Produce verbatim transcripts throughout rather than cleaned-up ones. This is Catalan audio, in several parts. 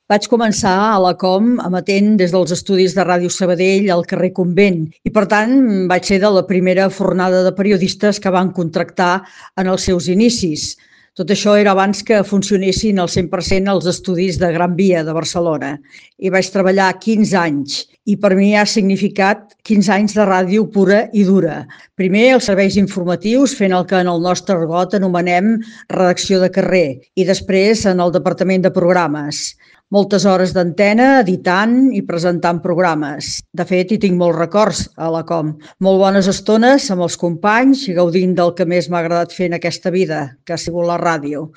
Vaig començar a la Com emetent des dels estudis de Ràdio Sabadell al carrer Convent i, per tant, vaig ser de la primera fornada de periodistes que van contractar en els seus inicis. Tot això era abans que funcionessin al cent per cent els estudis de Gran Via de Barcelona. I vaig treballar quinze anys i per mi ha significat quinze anys de ràdio pura i dura. Primer els serveis informatius, fent el que en el nostre argot anomenem redacció de carrer, i després en el departament de programes. Moltes hores d'antena, editant i presentant programes. De fet, hi tinc molts records a la Com. Molt bones estones amb els companys, gaudint del que més m'ha agradat fer en aquesta vida, que ha sigut la ràdio.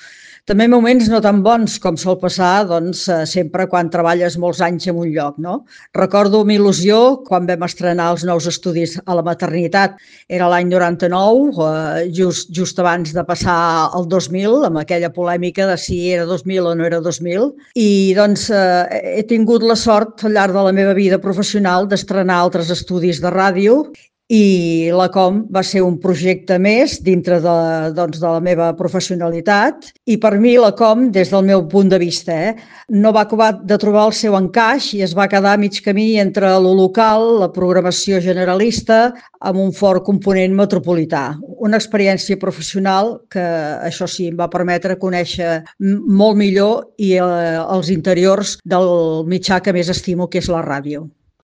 També moments no tan bons com sol passar doncs, sempre quan treballes molts anys en un lloc, no? Recordo amb il·lusió quan vam estrenar els nous estudis a la maternitat. Era l'any noranta-nou, just, just abans de passar al dos mil, amb aquella polèmica de si era dos mil o no era dos mil. I doncs eh, he tingut la sort al llarg de la meva vida professional d'estrenar altres estudis de ràdio i la Com va ser un projecte més dintre de, doncs, de la meva professionalitat i per mi la Com, des del meu punt de vista, eh, no va acabar de trobar el seu encaix i es va quedar a mig camí entre lo local, la programació generalista, amb un fort component metropolità. Una experiència professional que, això sí, em va permetre conèixer molt millor i eh, els interiors del mitjà que més estimo, que és la ràdio.